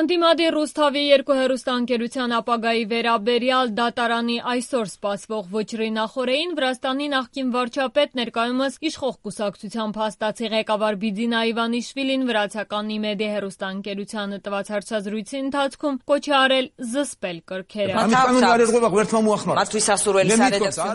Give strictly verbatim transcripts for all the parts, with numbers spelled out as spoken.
Ընդդիմադիր Ռուսթավի երկու հեռուստաընկերության ապագայի վերաբերյալ դատարանի այսօր սպասվող վճռի նախօրեին Վրաստանի նախկին վարչապետ, ներկայումս իշխող կուսակցության փաստացի ղեկավար Բիձինա Իվանիշվիլին վրացական Իմեդիա հեռուստաընկերությանը տված հարցազրույցի ընթացքում կոչ է արել զսպել կրքերը։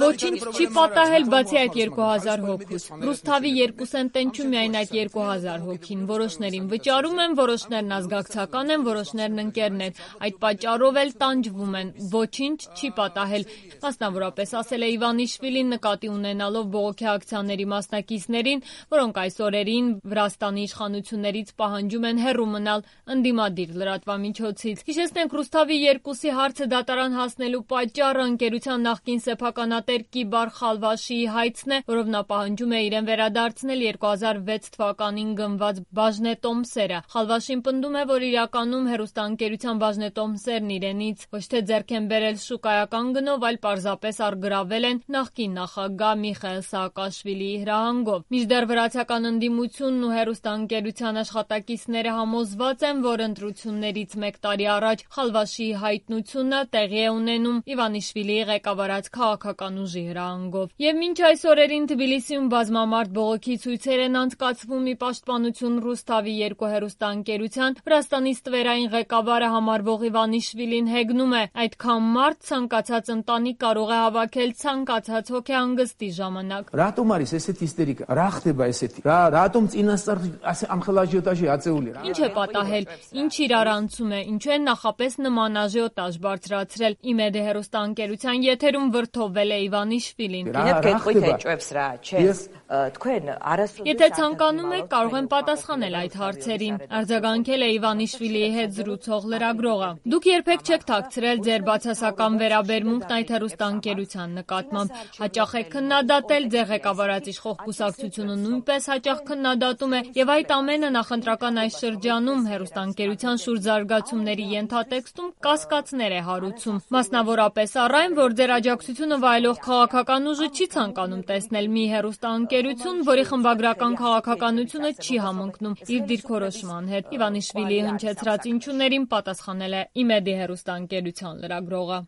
Ոչինչ չի պատահել բացի այդ երկու հազար հոգուց։ Ռուսթավի երկու սենտ են չու միայն այդ երկու հազար հոգին։ Որոշներին վճարում են, որոշներն ազգակցական են, որոշներն ընկերներ, այդ պատճառով էլ տանջվում են, ոչինչ չի պատահել, մասնավորապես ասել է Իվանիշվիլին նկատի ունենալով բողոքի ակցիաների մասնակիցներին, որոնք այս օրերին Վրաստանի իշխանություններից պահանջում են հեռու մնալ ընդդիմադիր լրատվամիջոցից։ Հիշեցնենք, Ռուսթավի երկուսի հարցը դատարան հասնելու պատճառը ընկերության նախկին սեփականատեր Կիբար Խալվաշիի հայցն է, որով նա պահանջում է իրեն վերադարձնել երկու հազար վեց թվականին գնված բաժնետոմսերը։ Խալվաշին պնդում է, որ իրականում հեռուստաընկերության բաժնետոմսերն իրենից ոչ թե ձեռք են բերել շուկայական գնով, այլ պարզապես առգրավել են նախկին նախագահ Միխայիլ Սաակաշվիլիի հրահանգով։ Մինչդեռ վրացական ընդդիմությունն ու հեռուստաընկերության աշխատակիցները համոզված են, որ ընտրություններից մեկ տարի առաջ Խալվաշիի հայտնությունը տեղի է ունենում Իվանիշվիլիի ղեկավարած քաղաքական ուժի հրահանգով։ Եվ մինչ այս օրերին Թբիլիսիում բազմամարդ բողոքի ցույցեր են անցկացվում ի պաշտպանություն Ռուսթավի երկու հեռուստաընկերության, Վրաստանի ստվերային ղեկավարը համարվող Իվանիշվիլին հեգնում է, այդքան մարդ ցանկացած ընտանիք կարող է հավաքել ցանկացած հոգեհանգստի ժամանակ։ Ինչ է պատահել, ինչ իրարանցում է, ինչու են նախապես նման աժիոտաժ բարձրացրել։ Իմեդիա հեռուստաընկերության եթերում վրդովվել է Իվանիշվիլին։ Եթե ցանկանում եք, կարող եմ պատասխանել այդ հարցերին, արձագանքել է Իվանիշվիլիի հետ զրուցող լրագրողը։ Դուք երբեք չեք թաքցրել ձեր բացասական վերաբերմունքն այդ հեռուստաընկերության նկատմամբ։ Հաճախ եք քննադատել, ձեր ղեկավարած իշխող կուսակցությունը նույնպես հաճախ քննադատում է, եւ այդ ամենը նախընտրական այս շրջանում հեռուստաընկերության շուրջ զարգացումների ենթատեքստում կասկածներ է հարուցում։ Մասնավորապես առ այն, որ ձեր աջակցությունը վայելող քաղաքական ուժը չի ցանկանում տեսնել մի հեռուստաընկերություն, որի խմբագրական քաղաքականությունը չի համընկնում իր դիրքորոշման հետ։ Իվանիշվիլիի հնչեցրած ինչուներին պատասխանել է Իմեդիա հեռուստաընկերության լրագրողը։